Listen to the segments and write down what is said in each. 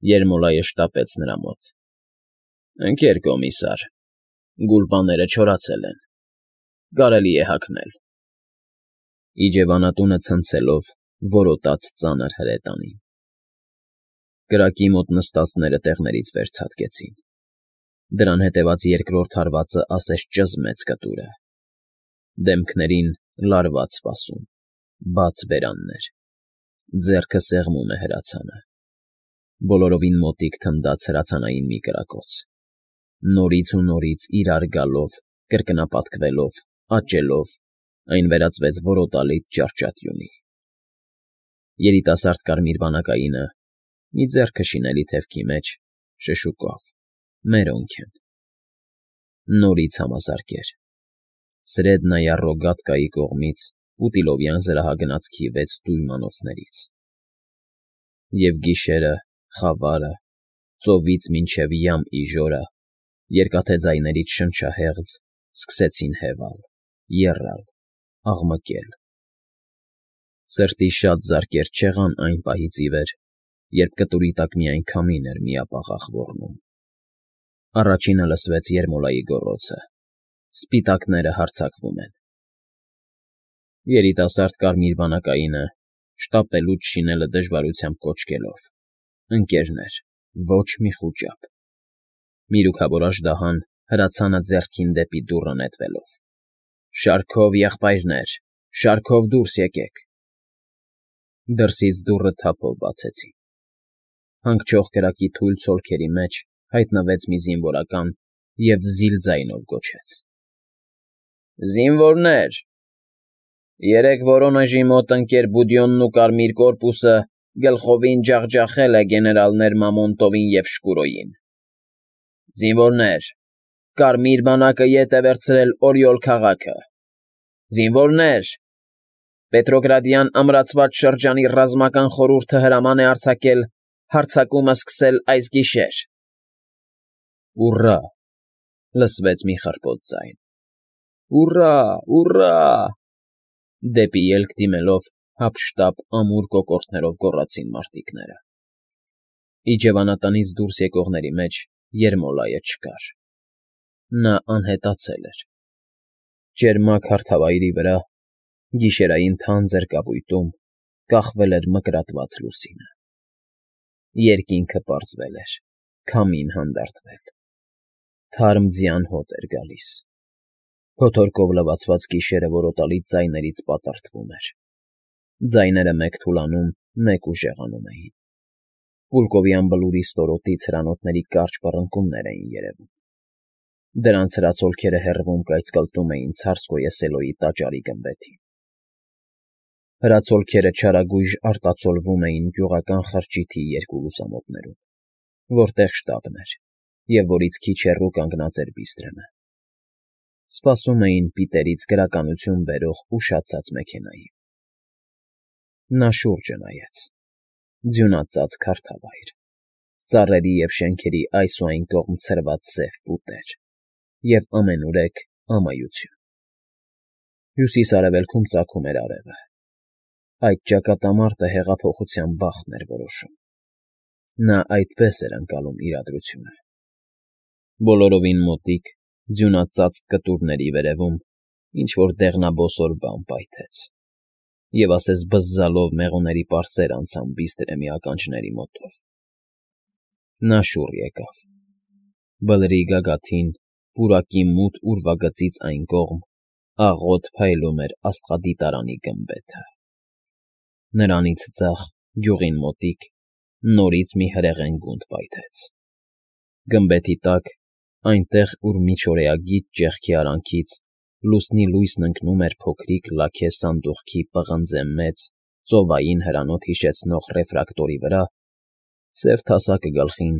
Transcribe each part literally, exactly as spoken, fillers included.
Երմոլայը շտապեց նրա մոտ։ ֊ Ընկեր կոմիսար, գուլպաները չորացել են, կարելի է հագնել… Իջևանատունը ցնցելով որոտաց ծանր հրետանին։ Կրակի մոտ նստածները տեղներից վեր ցատկեցին, դրան հետևած երկրորդ հարվածը ասես ճզմեց կտուրը, դեմքներին լարված սպասում, բաց բերաններ, ձեռքը սեղմում է հրացանը, բոլորովին մոտիկ թնդաց հրացանային մի կրակոց, նորից ու նորից իրար գալով, կրկնապատկվելով, աճելով, այն վերածվեց որոտալից ճարճատյունի։ Երիտասարդ կարմիր բանակայինը, մի ձեռքը շինելի թևքի մեջ, շշուկով, մերոնք են… Նորից համազարկեր… Սրեդնայա Ռոգատկայի կողմից Պուտիլովյան զրահագնացքի վեց տույմանոցներից… Եվ գիշերը, խավարը, ծովից մինչև յամ իժորը, երկաթե ձայներից շնչահեղձ, սկսեցին հևալ, եռալ, աղմկել… Սրտի շատ զարկեր չեղան այն պահից ի վեր, երբ կտուրի տակ միայն քամին էր միապաղաղ ոռնում… Առաջինը լսվեց Երմոլայի գոռոցը… Սպիտակները հարձակվում են… Երիտասարդ կարմիր բանակայինը, շտապելուց շինելը դժվարությամբ կոչկելով, ընկերներ, ոչ մի խուճապ… Միրուքավոր աժդահան հրացանը ձեռքին դեպի դուռը նետվելով. «Շարքով, եղբայրներ, շարքով դուրս եկեք»… Դրսից դուռը թափով բացեցին… Հանգչող կրակի թույլ ցոլքերի մեջ հայտնվեց մի զինվորական և զիլ ձայնով գոչեց. ֊ Զինվորներ… Երեկ Վորոնեժի մոտ ընկեր Բուդյոնն ու Կարմիր կորպուսը գլխովին ջախջախել է գեներալներ Մամոնտովին և Շկուրոյին… Զինվորներ… Կարմիր բանակը ետ է վերցրել Օրիոլ քաղաքը… Զինվորներ… Պետրոգրադյան ամրացված շրջանի ռազմական խորհուրդը հրաման է արձակել հարձակումը սկսել այս գիշեր… Ուռա՜… լսվեց մի խռպոտ ձայն… Ուռա՜, ուռա՜… Դեպի ելք դիմելով հափշտապ ամուր կոկորդներով գոռացին մարտիկները… Իջևանատնից դուրս եկողների մեջ Երմոլայը չկար… Նա անհետացել էր… Ճերմակ հարթավայրի վրա, գիշերային թանձր կապույտում կախվել էր մկրատված լուսինը… Երկինքը պարզվել էր, քամին հանդարտվել… Թարմ ձյան հոտ էր գալիս… Փոթորկով լվացված գիշերը որոտալի ձայներից պատրվտում էր… Ձայները մեկ թուլանում, մեկ ուժեղանում էին… Պուլկովյան բլուրի ստորոտից հրանոթների կարճ պռնկումներ էին երևում… Դրանց հրացոլքերը հեռվում կայծկլտում էին Ցարսկոյե Սելոյի տաճարի գմբեթին… Հրացոլքերը չարագույժ արտացոլվում էին գյուղական խրճիթի երկու լուսամուտներում, որտեղ շտաբն էր և որից քիչ հեռու կանգնած էր Բիստրըմը… Սպասում էին պիտերից գրականություն բերող ուշացած մեքենայի… Նա շուրջը նայեց… Ձյունածածկ հարթավայր… Ծառերի և շենքերի այս ու այն կողմ ցրված սև պուտեր… Եվ ամենուրեք ամայություն… Հյուսիս֊արևելքում ծագում էր արևը… Այդ ճակատամարտը հեղափոխության բախտն էր որոշում… Նա այդպես էր ընկալում իրադրությունը… Բոլորովին մոտիկ, ձյունածածկ կտուրների վերևում ինչ֊որ դեղնաբոսոր բան պայթեց… Եվ ասես բզզալով մեղուների պարսեր անցան Բիստրեմի ականջների մոտով… Նա շուռ եկավ… Բլրի գագաթին, պուրակի մութ ուրվագծից այն կողմ, աղոտ փայլում էր աստղադիտարանի գմբեթը… Նրանից ձախ, գյուղին մոտիկ, նորից մի հրեղեն գունդ պայթեց… Գմբեթի տակ, այնտեղ, ուր միջօրեագիծ ճեղքի արանքից լուսնի լույսն ընկնում էր փոքրիկ լաքե սանդուղքի պղնձե մեծ, ծովային հրանոթ հիշեցնող ռեֆրակտորի վրա, սև թասակը գլխին,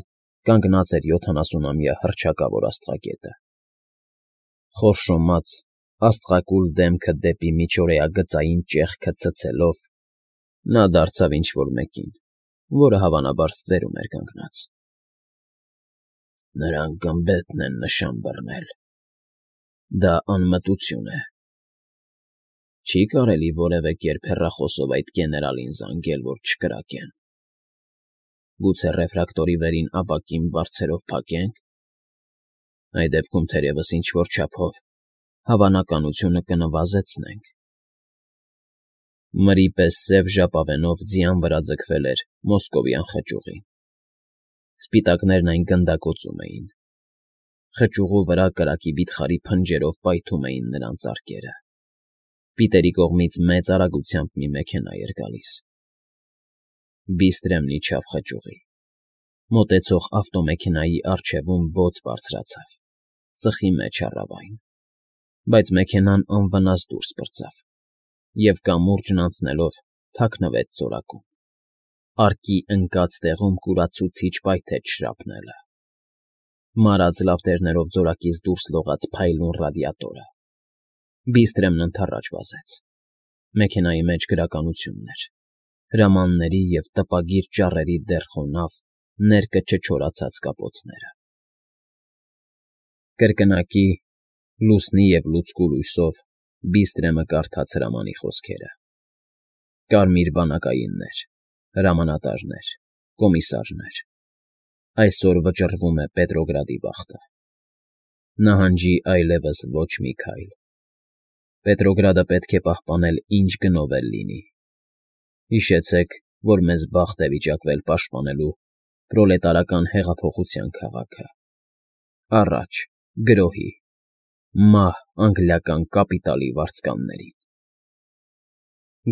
կանգնած էր յոթանասունամյա հռչակավոր աստղագետը… Խորշոմած, աստղակուլ դեմքը դեպի միջօրեագծային ճեղքը ցցելով, նա դարձավ ինչ֊որ մեկին, որը հավանաբար ստվերում էր կանգնած… Նրանք գմբեթն են նշան բռնել… Դա անմտություն է… Չի՞ կարելի որևէ կերպ հեռախոսով այդ գեներալին զանգել, որ չկրակեն… Գուցե ռեֆրակտորի վերին ապակին բարձրով փակե՞նք։ Այդ դեպքում թերևս ինչ֊որ չափով հավանականությունը կնվազեցնենք։ Մրի պես սև ժապավենով ձյան վրա ձգվել էր մոսկովյան խճուղին։ Սպիտակներն այն գնդակոծում էին։ Խճուղու վրա կրակի վիթխարի փնջերով պայթում էին նրանց արկերը։ Պիտերի կողմից մեծ արագությամբ մի մեքենա էր գալիս։ Բիստրեմն իջավ խճուղի։ Մոտեցող ավտոմեքենայի առջևում բոց բարձրացավ, ծխի մեջ առավ այն, բայց մեքենան անվնաս դուրս պրծավ և կամուրջն անցնելով թաքնվեց ծորակում։ Արկի ընկած տեղում կուրացուցիչ պայթեց շրապնելը։ Մարած լապտերներով ձորակից դուրս լողաց փայլուն ռադիատորը։ Բիստրեմն ընդառաջ վազեց։ Մեքենայի մեջ գրականությունն էր, հրամանների և տպագիր ճառերի դեռ խոնավ, ներկը չչորացած կապոցները։ Կրկնակի, լուսնի և լուցկու լույսով Բիստրեմը կարդաց հրամանի խոսքերը. «Կարմիր բանակայիններ, հրամանատարներ, կոմիսարներ, այսօր վճռվում է Պետրոգրադի բախտը։ Նահանջի այլևս ոչ մի քայլ։ Պետրոգրադը պետք է պահպանել ինչ գնով էլ լինի։ Հիշեցեք, որ մեզ բախտ է վիճակվել պաշտպանելու պրոլետարական հեղափոխության քաղաքը։ Առաջ, գրոհի, մահ անգլիական կապիտալի վարձկաններին»։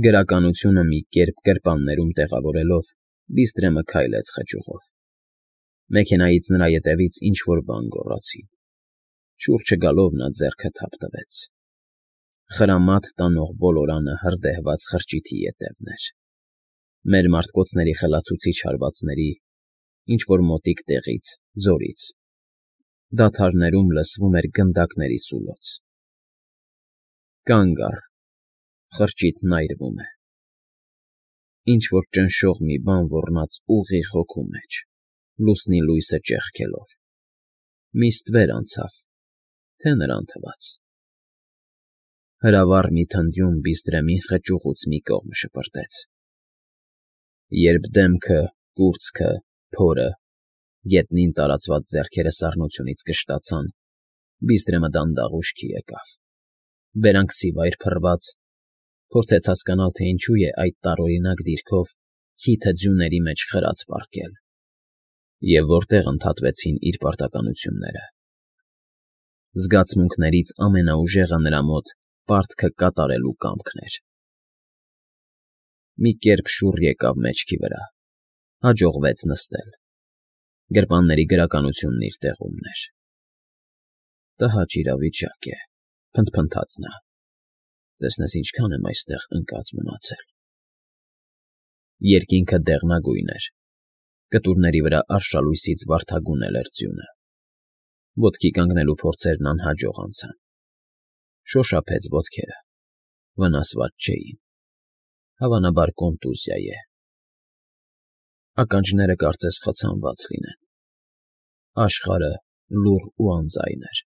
Գրականությունը մի կերպ գրպաններում տեղավորելով՝ Բիստրեմը քայլեց խճուղով։ Մեքենայից նրա ետևից ինչ֊որ բան գոռացին։ Շուրջը գալով նա ձեռքը թափ տվեց։ Խրամատ տանող ոլորանը հրդեհված խրճիթի ետևն էր։ Մեր մարտկոցների խլացուցիչ հարվածների, ինչ֊որ մոտիկ տեղից, ձորից։ Դադարներում լսվում էր գնդակների սուլոց։ Կանգ առ, խրճիթն այրվում է։ Ինչ֊որ ճնշող մի բան ոռնաց ուղիղ հոգու մեջ, լուսնի լույսը ճեղքելով։ Մի ստվեր անցավ, թե նրան թվաց։ Հրավառ մի թնդյուն Բիստրեմին խճուղուց մի կողմ շպրտեց։ Երբ դեմքը, կուրծքը, փորը, գետնին տարածված ձեռքերը սառնությունից կշտացան, Բիստրեմը դանդաղ ուշքի եկավ։ Բերանքսիվայր փռված, փորձեց հասկանալ, թե ինչու է այդ տարօրինակ դիրքով քիթը ձյուների մեջ խրած պառկել, և որտեղ ընդհատվեցին իր պարտականությունները։ Զգացմունքներից ամենաուժեղը նրա մոտ պարտքը կատարելու կամքն էր։ Մի կերպ շուռ եկավ մեջքի վրա, հաջողվեց նստել։ Գրպանների գրականությունն իր տեղումն էր։ Տհաճ իրավիճակ է, փնթփնթաց նա։ Տեսնես ինչքան եմ այստեղ ընկած մնացել։ Երկինքը դեղնագույն էր, կտուրների վրա արշալույսից վարդագունել էր ձյունը։ Ոտքի կանգնելու փորձերն անհաջող անցան։ Շոշափեց ոտքերը, վնասված չէին։ Հավանաբար կոնտուզիա է։ Ականջները կարծես խցանված լինեն։ Աշխարհը լուռ ու անձայն էր։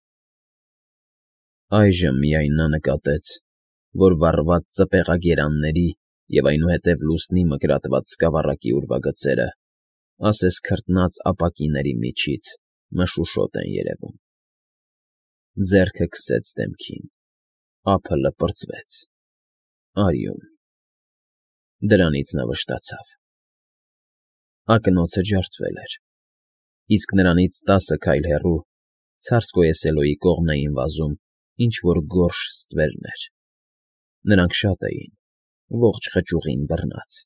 Այժմ միայն նա նկատեց, որ վառված ծպեղագերանների և այնուհետև լուսնի մկրատված սկավառակի ուրվագծերը, ասես քրտնած ապակիների միջից, մշուշոտ են երևում։ Ձեռքը քսեց դեմքին, ափը լպրծվեց։ Արյուն։ Դրանից նա վշտացավ։ Ակնոցը ջարդվել էր, իսկ նրանից տասը քայլ հեռու, Ցարսկոե Սելոյի կողմն էին վազում ինչ֊որ գորշ ստվերներ։ Նրանք շատ էին, ողջ խճուղին բռնած։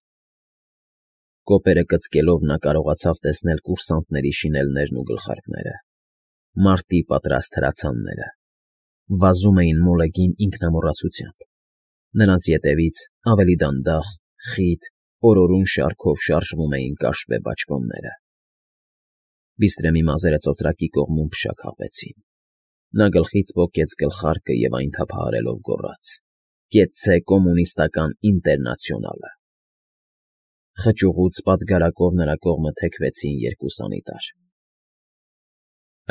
Կոպերը կծկելով նա կարողացավ տեսնել կուրսանտների շինելներն ու գլխարկները, մարտի պատրաստ հրացանները։ Վազում էին մոլեգին ինքնամոռացությամբ։ Նրանց ետևից, ավելի դանդաղ, խիտ, օրորուն շարքով շարժվում էին կաշվե բաճկոնները։ Բիստրեմի մազերը ծոծրակի կողմում փշաքաղվեցին։ Նա գլխից պոկեց գլխարկը և այն թափահարելով գոռաց. «Կեցցե կոմունիստական ինտերնացիոնալը»։ Խճուղուց պատգարակով նրա կողմը թեքվեցին երկու սանիտար։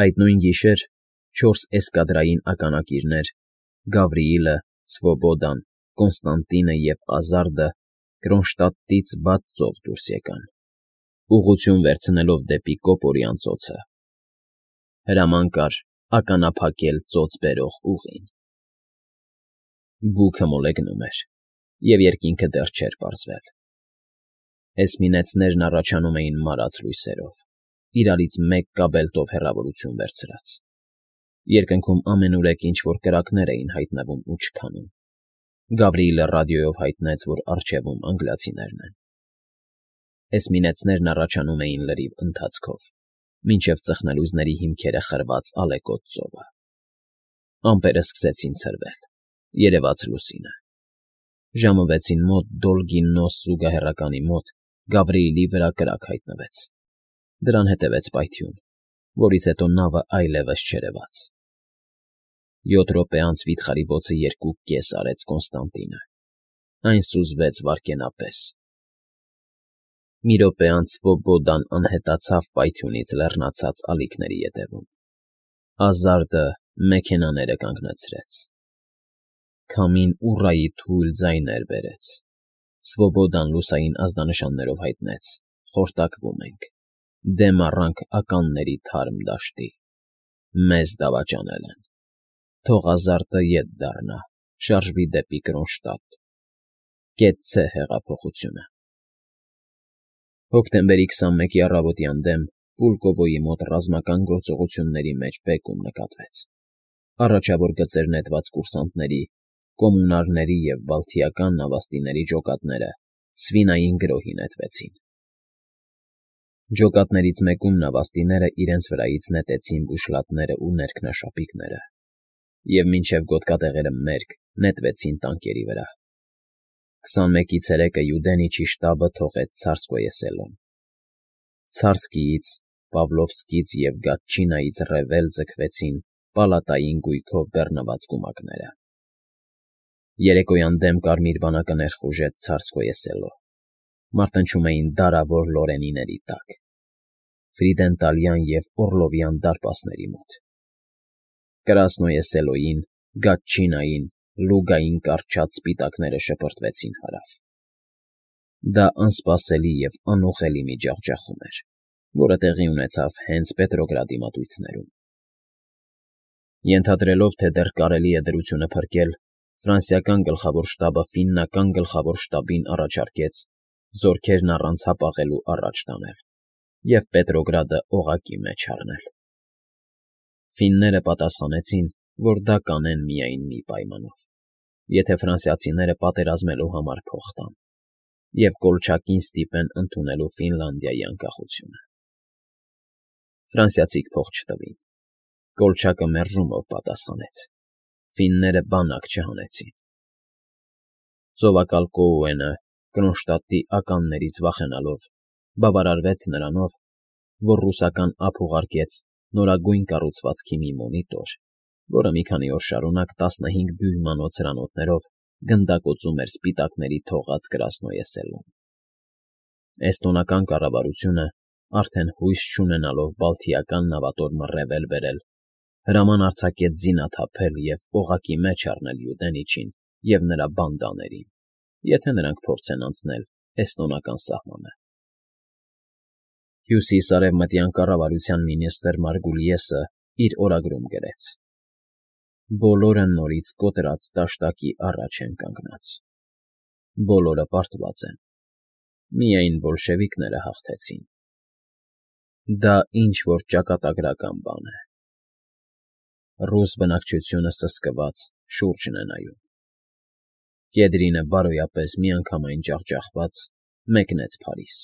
Այդ նույն գիշեր չորս էսկադրային ականակիրներ՝ Գավրիիլը, Սվոբոդան, Կոնստանտինը և Ազարդը Կրոնշտադտից բաց ծով դուրս եկան։ ուղղություն վերցնելով դեպի կոպորի անծոցը։ Հրաման կար ականափակել ծոծ բերող ուղին։ Բուքը մոլեգնում էր, և երկինքը դեռ չէր պարզվել։ Էսմինեցներն առաջանում էին մարած լույսերով, իրարից մեկ կաբելտով հեռավորություն վերցրած։ Երկնքում ամենուրեք ինչ֊որ կրակներ էին հայտնվում ու չքանում։ Գավրիելը ռադիոյով հայտնեց, որ առջևում անգլիացիներն են։ Էսմինեցներն առաջանում էին լրիվ ընթացքով, մինչև ծխնելուզների հիմքերը խրված ալեկոծ ծովը։ Ամպերը սկսեցին ցրվել, երևաց լուսինը։ Ժամը վեցին մոտ Դոլգին Նոս զուգահեռականի մոտ Գավրիելի վրա կրակ հայտնվեց։ Դրան հետևեց պայթյուն, որից հետո նավը այլևս չերևաց։ Յոթ րոպե անց վիթխարի բոցը երկու կես արեց Կոնստանտինը։ Այն սուզվեց վայրկենապես։ Մի րոպե անց Սվոբոդան անհետացավ պայթյունից լեռնացած ալիքների ետևում։ Ազարդը մեքենաները կանգնացրեց։ Քամին ուռայի թույլ ձայներ բերեց։ Սվոբոդան լուսային ազդանշաններով հայտնեց. «Խորտակվում ենք, դեմ առանք ականների թարմ դաշտի, մեզ դավաճանել են, թող Ազարդը ետ դառնա, շարժվի դեպի Կրոնշտադտ, կեցցե հեղափոխությունը»։ Հոկտեմբերի քսանմեկի առավոտյան դեմ Պուլկովոյի մոտ ռազմական գործողությունների մեջ բեկում նկատվեց։ Առաջավոր գծեր նետված կուրսանտների, կոմունարների և բալթիական նավաստիների ջոկատները սվինային գրոհի նետվեցին։ Ջոկատներից մեկում նավաստիները իրենց վրայից նետեցին բուշլատներն ու ներքնաշապիկները և մինչև գոտկատեղերը մերկ նետվեցին տանկերի վրա։ Քսանմեկի ցերեկը Յուդենիչի շտաբը թողեց Ցարսկոե-Սելոն։ Ցարսկիից, Պավլովսկից և Գատչինայից ռեվել ձգվեցին պալատային գույքով բեռնված կումակները։ Երեկոյան դեմ կարմիր բանակը ներխուժեց Ցարսկոե-Սելո, մարտնչում էին դարավոր լորենիների տակ, Ֆրիդենտալյան և Օռլովյան դարպասների մոտ։ Կրասնոե֊Սելոյին, Գատչինային, Լուգային կառչած սպիտակները շպրտվեցին հարավ։ Դա անսպասելի և անուղղելի մի ջախջախում էր, որը տեղի ունեցավ հենց Պետրոգրադի մատույցներում։ Ենթադրելով, թե դեռ կարելի է դրությունը փրկել, ֆրանսիական գլխավոր շտաբը ֆիննական գլխավոր շտաբին առաջարկեց զորքերն առանց հապաղելու առաջ տանել և Պետրոգրադը օղակի մեջ առնել։ Ֆինները պատասխանեցին, որ դա կանեն միայն մի պայմանով, եթե ֆրանսիացիները պատերազմելու համար փող տան և Կոլչակին ստիպեն ընդունելու Ֆինլանդիայի անկախությունը։ Ֆրանսիացիք փող չտվին։ Կոլչակը մերժումով պատասխանեց։ Ֆինները բանակ չհանեցին։ Ծովակալ Կոուենը, Կրոնշտադտի ականներից վախենալով, բավարարվեց նրանով, որ ռուսական ափ ուղարկեց նորագույն կառուցվածքի մի մոնիտոր, որը մի քանի օր շարունակ տասնհինգ դյույմանոց հրանոթներով գնդակոծում էր սպիտակների թողած Կրասնոե-Սելոն։ Էստոնական կառավարությունը, արդեն հույս չունենալով բալթիական նավատորմը ռեվել բերել, հրաման արձակեց զինաթափել և օղակի մեջ առնել Յուդենիչին և նրա բանդաներին, եթե նրանք փորձեն անցնել էստոնական սահմանը։ Հյուսիս֊արևմտյան կառավարության մինիստրը Մարգուլիեսը իր օրագրում գրեց. «Բոլորը նորից կոտրած դաշտակի առաջ են կանգնած։ Բոլորը պարտված են, միայն բոլշևիկները հաղթեցին։ Դա ինչ֊որ ճակատագրական բան է։ Ռուս բնակչությունը սսկված շուրջն է նայում։ Կեդրինը բարոյապես միանգամայն ջախջախված մեկնեց Փարիզ։